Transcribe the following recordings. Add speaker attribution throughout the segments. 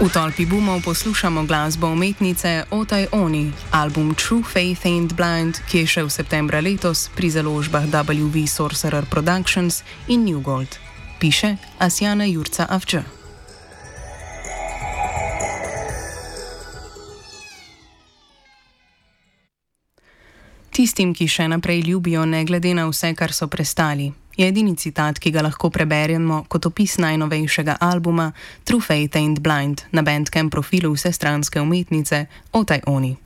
Speaker 1: V tolpi boomov poslušamo glasbo umetnice Otaj Oni, album True Faith Ain't Blind, ki je šel septembra letos pri založbah WV Sorcerer Productions in New Gold. Piše Asjana Jurca Avč. Tistim, ki še naprej ljubijo, ne glede na vse, kar so prestali, je edini citat, ki ga lahko preberemo kot opis najnovejšega albuma True Faith Ain't Blind na Bandcamp profilu vsestranske umetnice Otaj Oni.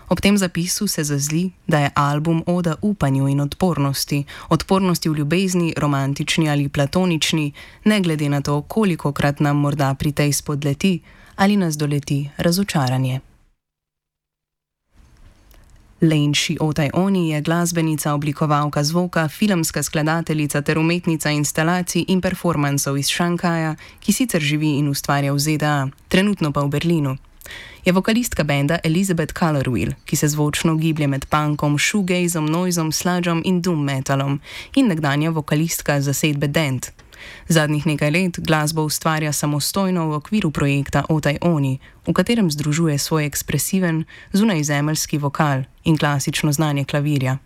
Speaker 1: Ob tem zapisu se zazli, da je album oda upanju in odpornosti v ljubezni, romantični ali platonični, ne glede na to, kolikokrat nam morda pri tej spodleti ali nas doleti razočaranje. Lenši Otaj Oni je glasbenica, oblikovalka zvoka, filmska skladateljica ter umetnica instalacij in performansov iz Šankaja, ki sicer živi in ustvarja v ZDA, trenutno pa v Berlinu. Je vokalistka benda Elizabeth Colorwheel, ki se zvočno giblje med punkom, shoegazom, noizom, sludgom in doom metalom, in nekdanja vokalistka zasedbe Dent. Zadnjih nekaj let glasbo ustvarja samostojno v okviru projekta Otaj Oni, v katerem združuje svoj ekspresiven, zunajzemeljski vokal in klasično znanje klavirja.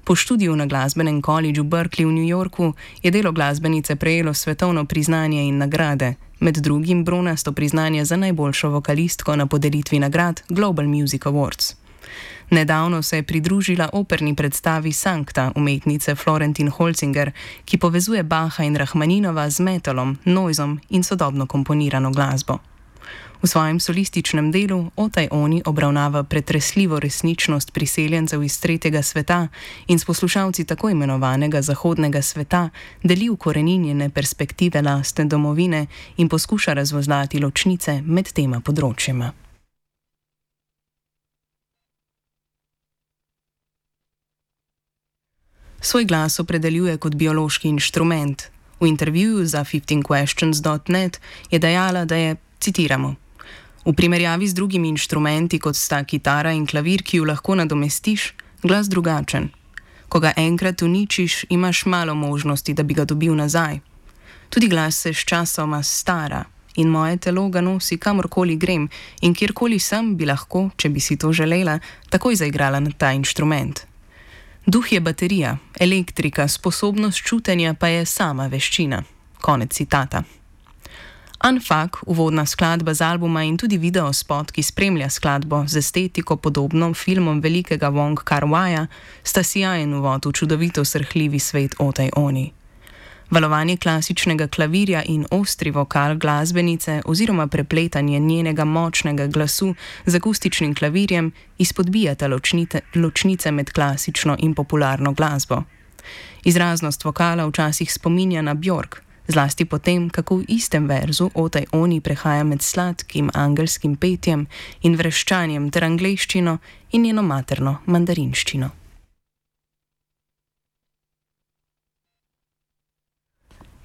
Speaker 1: Po študiju na glasbenem koledžu Berkeley v New Yorku je delo glasbenice prejelo svetovno priznanje in nagrade, med drugim bronasto priznanje za najboljšo vokalistko na podelitvi nagrad Global Music Awards. Nedavno se je pridružila operni predstavi Sancta umetnice Florentin Holzinger, ki povezuje Bacha in Rahmaninova z metalom, noizom in sodobno komponirano glasbo. V svojem solističnem delu Otaj Oni obravnava pretresljivo resničnost priseljencev iz tretjega sveta in s poslušalci tako imenovanega zahodnega sveta deli ukoreninjene perspektive lastne domovine in poskuša razvozlati ločnice med tema področjema. Svoj glas opredeljuje kot biološki inštrument. V intervjuju za 15questions.net je dejala, da je, citiramo, v primerjavi z drugimi inštrumenti, kot sta kitara in klavir, ki ju lahko nadomestiš, glas drugačen. Ko ga enkrat uničiš, imaš malo možnosti, da bi ga dobil nazaj. Tudi glas se sčasoma stara in moje telo ga nosi kamorkoli grem in kjerkoli sem bi lahko, če bi si to želela, takoj zaigrala na ta inštrument. Duh je baterija, elektrika, sposobnost čutenja pa je sama veščina. Konec citata. Unfuck, uvodna skladba z albuma in tudi videospot, ki spremlja skladbo z estetiko podobno filmom velikega Wong Kar-waja, sta sijajen uvod v čudovito srhljivi svet Otaj Oni. Valovanje klasičnega klavirja in ostri vokal glasbenice oziroma prepletanje njenega močnega glasu z akustičnim klavirjem izpodbijata ločnice med klasično in popularno glasbo. Izraznost vokala včasih spominja na Björk, zlasti potem, kako v istem verzu Otaj Oni prehaja med sladkim angelskim petjem in vreščanjem ter angleščino in njeno materno mandarinščino.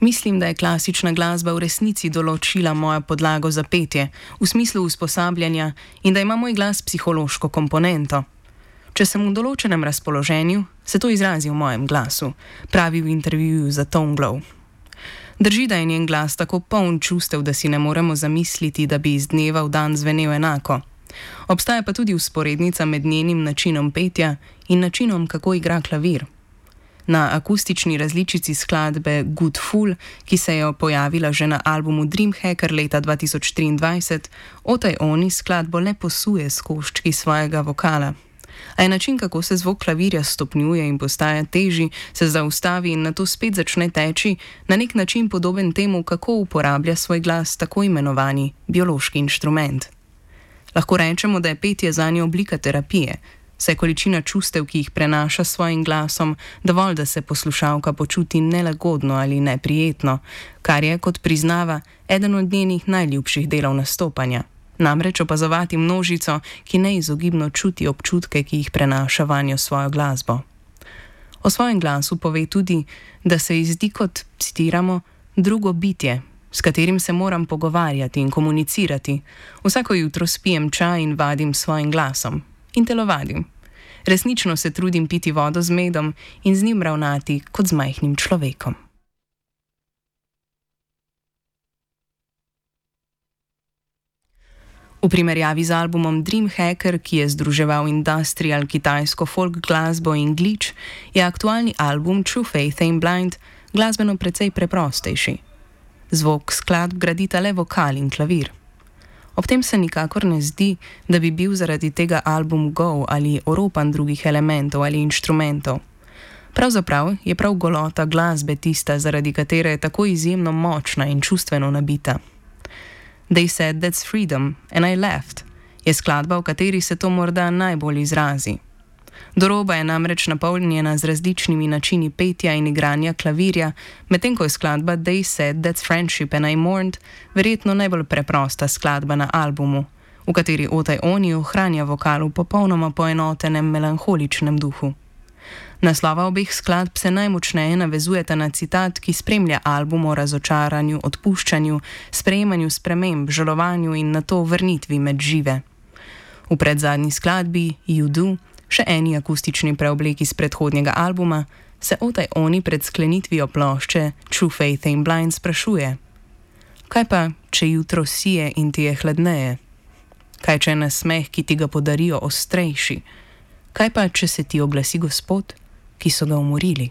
Speaker 1: Mislim, da je klasična glasba v resnici določila mojo podlago za petje, v smislu usposabljanja, in da ima moj glas psihološko komponento. Če sem v določenem razpoloženju, se to izrazi v mojem glasu, pravi v intervjuju za Tone Glow. Drži, da je njen glas tako poln čustev, da si ne moremo zamisliti, da bi iz dneva v dan zvenel enako. Obstaja pa tudi vzporednica med njenim načinom petja in načinom, kako igra klavir. Na akustični različici skladbe Good Fool, ki se je pojavila že na albumu Dreamhacker leta 2023, Otaj Oni skladbo le posuje s koščki svojega vokala. A je način, kako se zvok klavirja stopnjuje in postaja težji, se zaustavi in nato spet začne teči, na nek način podoben temu, kako uporablja svoj glas tako imenovani biološki inštrument. Lahko rečemo, da je petje zanje oblika terapije, saj količina čustev, ki jih prenaša s svojim glasom, dovolj, da se poslušalka počuti nelagodno ali neprijetno, kar je, kot priznava, eden od njenih najljubših delov nastopanja. Namreč opazovati množico, ki neizogibno čuti občutke, ki jih prenaša vanjo svojo glasbo. O svojem glasu pove tudi, da se ji zdi kot, citiramo, drugo bitje, s katerim se moram pogovarjati in komunicirati. Vsako jutro spijem čaj in vadim svojim glasom. In telovadim. Resnično se trudim piti vodo z medom in z njim ravnati kot z majhnim človekom. V primerjavi z albumom Dreamhacker, ki je združeval industrial, kitajsko folk glasbo in glitch, je aktualni album True Faith Ain't Blind glasbeno precej preprostejši. Zvok skladb gradita le vokal in klavir. Ob tem se nikakor ne zdi, da bi bil zaradi tega album gol ali oropan drugih elementov ali inštrumentov. Pravzaprav je prav golota glasbe tista, zaradi katere je tako izjemno močna in čustveno nabita. They said that's freedom and I left je skladba, v kateri se to morda najbolj izrazi. Do roba je namreč napolnjena z različnimi načini petja in igranja klavirja, medtem ko je skladba They said that's friendship and I mourned verjetno najbolj preprosta skladba na albumu, v kateri Otaj Oni ohranja vokal v popolnoma poenotenem melanholičnem duhu. Naslova obeh skladb se najmočneje navezujeta na citat, ki spremlja album o razočaranju, odpuščanju, sprejemanju sprememb, žalovanju in nato vrnitvi med žive. V predzadnji skladbi You Do, še eni akustični preoblek iz predhodnega albuma, se Otaj Oni pred sklenitvijo plošče True Faith Ain't Blind sprašuje: kaj pa, če jutro sije in ti je hladneje? Kaj, če je nasmeh, ki ti ga podarijo, ostrejši? Kaj pa, če se ti oglasi Gospod, ki so ga umorili?